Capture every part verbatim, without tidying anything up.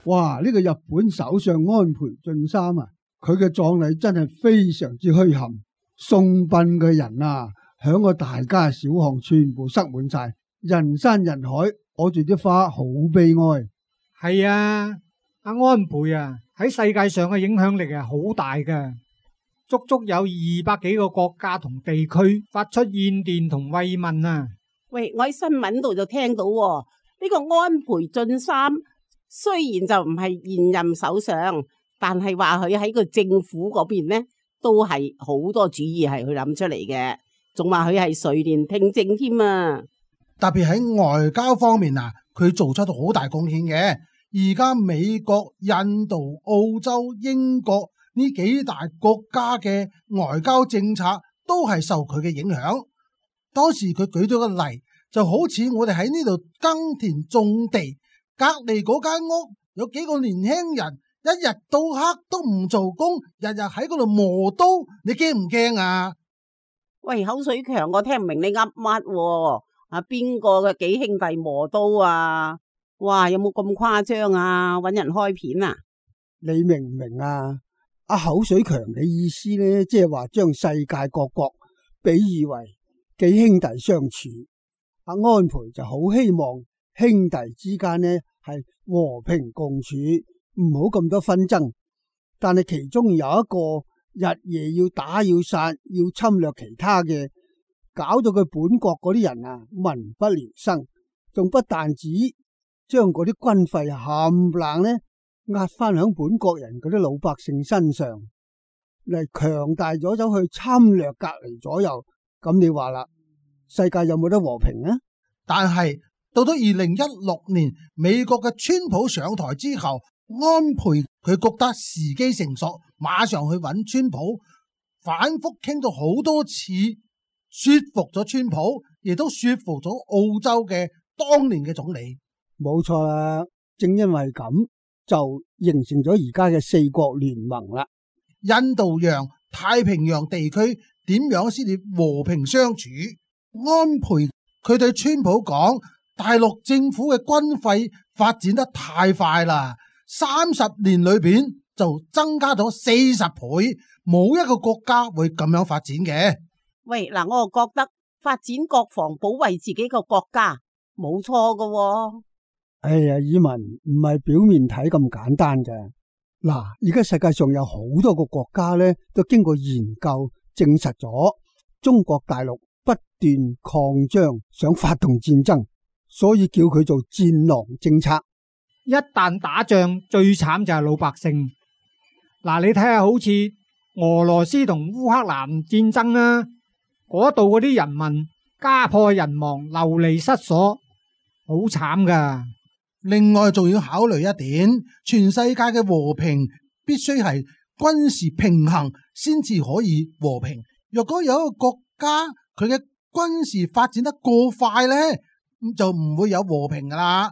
哇！呢個日本首相安倍晉三啊，佢嘅葬禮真係非常之墟冚，送殯嘅人啊，響個大街小巷全部塞滿晒，人山人海，攞住啲花，好悲哀。係啊，阿安倍啊，喺世界上嘅影響力係好大嘅，足足有二百幾個國家同地區發出唁電同慰問啊。喂，我喺新聞度就聽到喎，呢個安倍晉三雖然就唔係現任首相，但係話佢喺個政府嗰邊呢，都係好多主意係佢諗出嚟嘅，仲話佢係垂簾聽政添啊。特別喺外交方面啊，佢做出好大貢獻嘅。而家美國、印度、澳洲、英國呢幾大國家嘅外交政策都係受佢嘅影響。當時佢舉咗個例，就好似我哋喺呢度耕田種地，隔籬嗰間屋有幾個年輕人，一日到黑都唔做工，日日喺嗰度磨刀，你驚唔驚啊？喂，口水強，我聽唔明你噏乜喎？啊，邊個嘅幾兄弟磨刀啊？哇，有冇咁誇張啊？搵人開片啊？你明唔明啊？阿口水強嘅意思呢，即係話將世界各國比喻為幾兄弟相處。阿安倍就好希望兄弟之間呢係和平共處，唔好咁多紛爭。但係其中有一個日夜要打要殺要侵略其他嘅，搞到佢本國嗰啲人啊民不聊生，仲不但止將嗰啲軍費冚唪唥呢壓翻響本國人嗰啲老百姓身上，嚟強大咗走去侵略隔籬左右。咁你話啦，世界有冇得和平啊？但係到咗二零一六年，美國嘅川普上台之後，安倍佢覺得時機成熟，馬上去揾川普，反覆傾咗好多次，說服咗川普，亦都說服咗澳洲嘅當年嘅總理。冇錯啦，正因為咁就形成咗而家嘅四國聯盟啦。印度洋、太平洋地區點樣先至和平相處？安倍佢對川普講，大陸政府嘅軍費發展得太快啦，三十年裏邊就增加咗四十倍，冇一個國家會咁樣發展嘅。喂，嗱，我就覺得發展國防保衛自己個國家冇錯噶喎。哎呀，以文唔係表面睇咁簡單嘅。嗱，而家世界上有好多個國家咧，都經過研究證實咗，中國大陸不斷擴張，想發動戰爭，所以叫佢做戰狼政策。一旦打仗，最慘就係老百姓。嗱，你睇下好似俄羅斯同烏克蘭戰爭啊，嗰度嗰啲人民家破人亡，流離失所，好慘噶。另外仲要考慮一點，全世界嘅和平必須係軍事平衡先至可以和平。若果有一個國家佢嘅軍事發展得過快呢，咁就唔會有和平噶啦。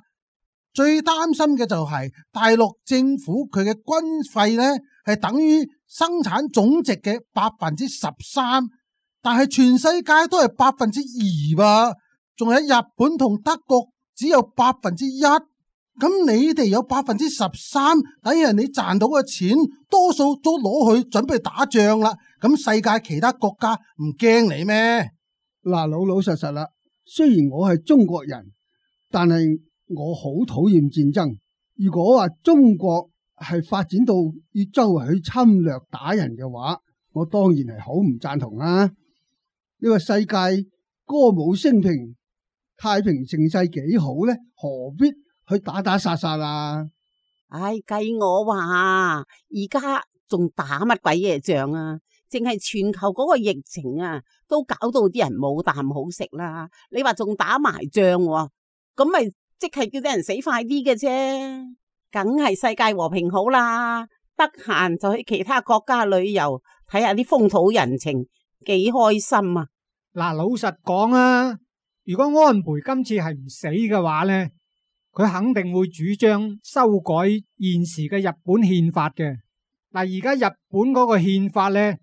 最擔心嘅就係大陸政府佢嘅軍費呢係等於生產總值嘅百分之十三，但係全世界都係百分之二吧，仲有日本同德國只有百分之一。咁你哋有百分之十三，等於你賺到嘅錢，多數都攞去準備打仗啦。咁世界其他國家唔驚你咩？嗱，老老實實啦。雖然我係中國人，但係我好討厭戰爭。如果話中國係發展到要周圍去侵略打人嘅話，我當然係好唔贊同啦。呢個世界歌舞升平、太平盛世幾好呢？何必去打打殺殺啦？唉，計我話，而家仲打乜鬼嘢仗啊？淨係全球嗰個疫情啊，都搞到啲人冇啖好食啦。你話仲打埋仗喎，咁咪即係叫啲人死快啲嘅啫。梗係世界和平好啦，得閒就去其他國家旅遊，睇下啲風土人情，幾開心啊！嗱，老實講啊，如果安倍今次係唔死嘅話呢，佢肯定會主張修改現時嘅日本憲法嘅。嗱，而家日本嗰個憲法呢，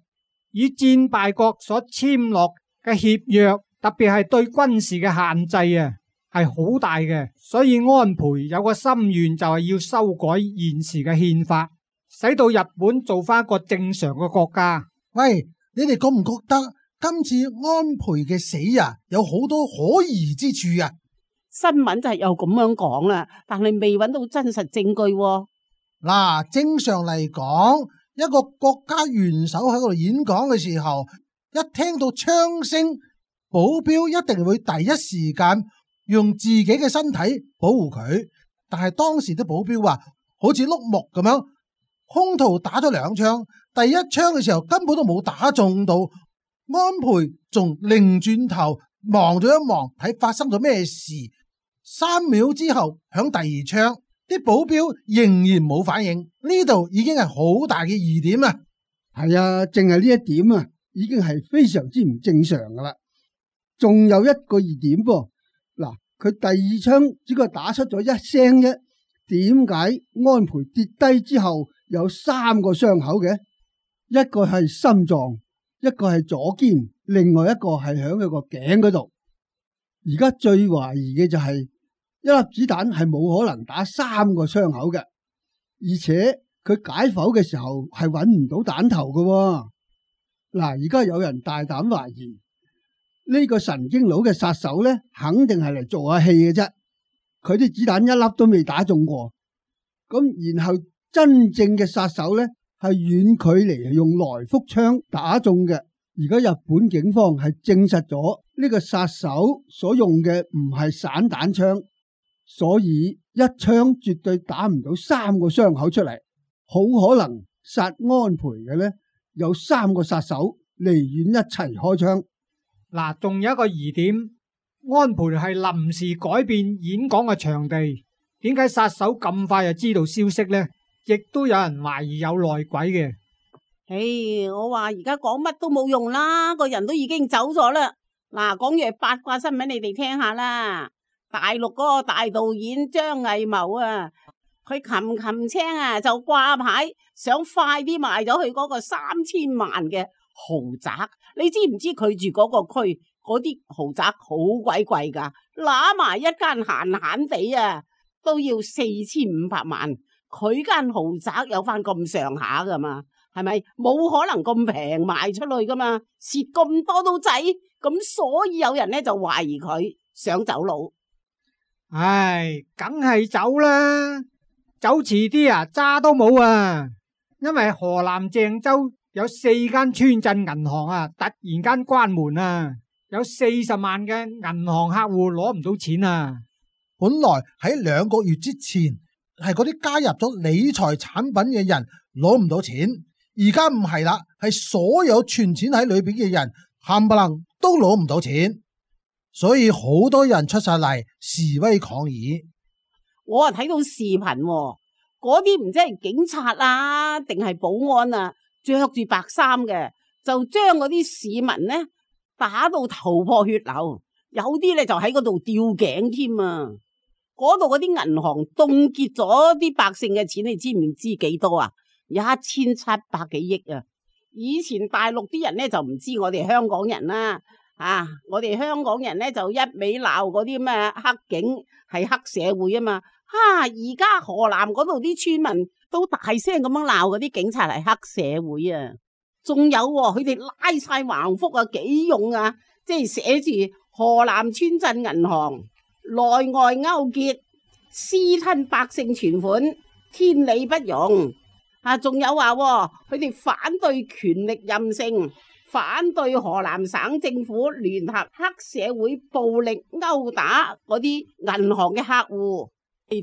以戰敗國所簽落嘅協約，特別係對軍事嘅限制啊，係好大嘅，所以安倍有個心願就係要修改現時嘅憲法，使到日本做翻一個正常嘅國家。喂，你哋覺唔覺得今次安倍嘅死啊，有好多可疑之處啊？新聞就係有咁樣講啦，但係未揾到真實證據喎。嗱，正常嚟講，一個國家元首喺嗰度演講嘅時候，一聽到槍聲，保鏢一定會第一時間用自己嘅身體保護佢。但係當時啲保鏢話，好似碌木咁樣，空途打咗兩槍，第一槍嘅時候根本都冇打中到。安倍仲擰轉頭望咗一望，睇發生咗咩事。三秒之後響第二槍，啲保鏢仍然冇反應，呢度已經係好大嘅疑點啊！係啊，淨係呢一點啊，已經係非常之唔正常噶啦。仲有一個疑點噃，嗱，佢第二槍只係打出咗一聲啫，點解安倍跌低之後有三個傷口嘅？一個係心臟，一個係左肩，另外一個係響佢個頸嗰度。而家最懷疑嘅就係一粒子彈係冇可能打三個傷口嘅，而且佢解剖嘅時候係揾唔到彈頭嘅。嗱，而家有人大膽懷疑呢個神經佬嘅殺手咧，肯定係嚟做下戲嘅啫。佢啲子彈一粒都未打中過，咁然後真正嘅殺手咧係遠距離用來福槍打中嘅。而家日本警方係證實咗呢個殺手所用嘅唔係散彈槍，所以一槍絕對打唔到三個傷口出嚟，好可能殺安倍嘅呢，有三個殺手離遠一齊開槍。嗱，仲有一個疑點，安倍係臨時改變演講嘅場地，點解殺手咁快就知道消息呢？亦都有人懷疑有內鬼嘅。唉，我話而家講乜都冇用啦，個人都已經走咗啦。嗱，講嘢八卦新聞你哋聽下啦。大陸嗰個大導演張藝謀啊，佢擒擒青啊就掛牌，想快啲賣咗佢嗰個三千萬嘅豪宅。你知唔知佢住嗰個區嗰啲豪宅好鬼貴噶，揦埋一間閒閒地啊都要四千五百萬。佢間豪宅有翻咁上下噶嘛？係咪冇可能咁平賣出去噶嘛？蝕咁多都制，咁所以有人咧就懷疑佢想走佬。唉，梗係走啦，走遲啲啊，渣都冇啊！因為河南鄭州有四間村鎮銀行啊，突然間關門啊，有四十萬嘅銀行客戶攞唔到錢啊！本來喺兩個月之前係嗰啲加入咗理財產品嘅人攞唔到錢。而家唔係啦，係所有存錢喺裏邊嘅人冚唪唥都攞唔到錢，所以好多人出晒嚟示威抗議。我啊睇到視頻，嗰啲唔知係警察啊，定係保安啊，着住白衫嘅，就將嗰啲市民呢打到頭破血流，有啲咧就喺嗰度吊頸添啊！嗰度嗰啲銀行凍結咗啲百姓嘅錢，你知唔知幾多啊？一千七百幾億啊！以前大陸啲人咧就唔知我哋香港人啦，啊，我哋香港人咧就一味鬧嗰啲咩黑警係黑社會啊嘛，哈、啊！而家河南嗰度啲村民都大聲咁樣鬧嗰啲警察係黑社會啊！仲有佢哋拉晒橫幅啊，幾勇啊！即係寫住河南村鎮銀行內外勾結，私吞百姓存款，天理不容。啊，仲有話佢哋反對權力任性，反對河南省政府聯合黑社會暴力毆打嗰啲銀行嘅客戶，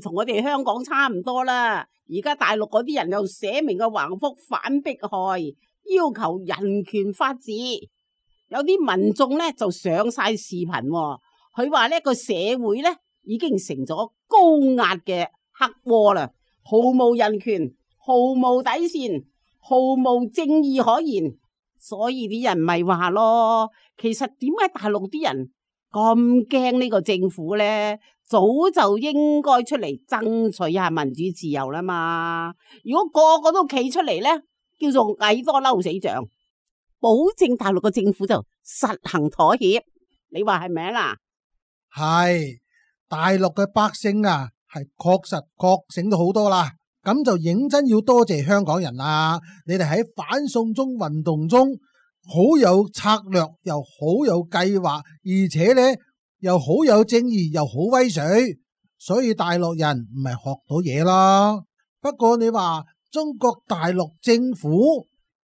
同我哋香港差唔多啦。而家大陸嗰啲人又寫明個橫幅反迫害，要求人權法治。有啲民眾咧就上晒視頻，佢話呢個社會咧已經成咗高壓嘅黑窩啦，毫無人權，毫無底線，毫無正義可言，所以啲人咪話咯，其實點解大陸啲人咁驚呢個政府呢？早就應該出嚟爭取下民主自由啦嘛！如果個個都企出嚟呢，叫做蟻多嬲死象，保證大陸個政府就實行妥協，你話係咪啦？係大陸嘅百姓啊，係確實覺醒咗好多啦。咁就認真要多謝香港人啦！你哋喺反送中運動中好有策略，又好有計劃，而且呢又好有正義，又好威水，所以大陸人唔係學到嘢啦。不過你話中國大陸政府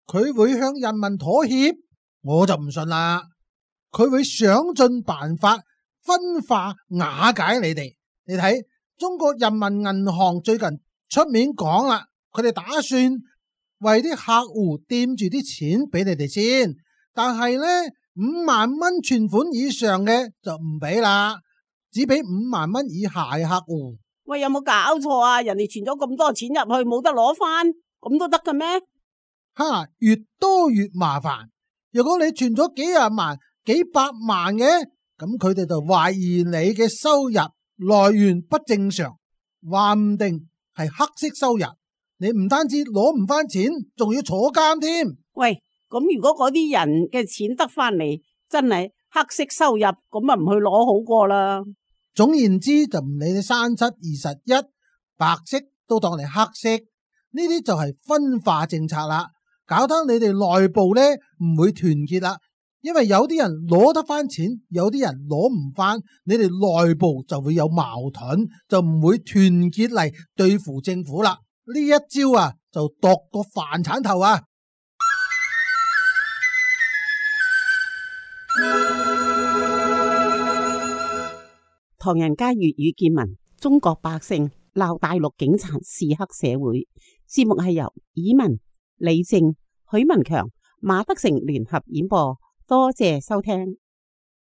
佢會向人民妥協，我就唔信啦。佢會想盡辦法分化瓦解你哋。你睇中國人民銀行最近出面講啦，佢哋打算為啲客戶墊住啲錢俾你哋先，但係呢五萬蚊存款以上嘅就唔俾啦，只俾五萬蚊以下嘅客戶。喂，有冇搞錯啊？人哋存咗咁多錢入去，冇得攞翻，咁都得嘅咩？哈，越多越麻煩。如果你存咗幾廿萬、幾百萬嘅，咁佢哋就懷疑你嘅收入來源不正常，話唔定係黑色收入，你唔單止攞唔翻錢，仲要坐監添。喂，咁如果嗰啲人嘅錢得翻嚟，真係黑色收入，咁啊唔去攞好過啦。總言之，就唔理你三七二十一，白色都當你黑色，呢啲就係分化政策啦，搞得你哋內部呢唔會團結啦。因為有啲人攞得翻錢，有啲人攞唔翻，你哋內部就會有矛盾，就唔會團結嚟對付政府啦。呢一招啊，就度個飯鏟頭啊！唐人街粵語見聞，中國百姓鬧大陸警察是黑社會。節目係由以文、李正、許文強、馬德成聯合演播。多謝收聽。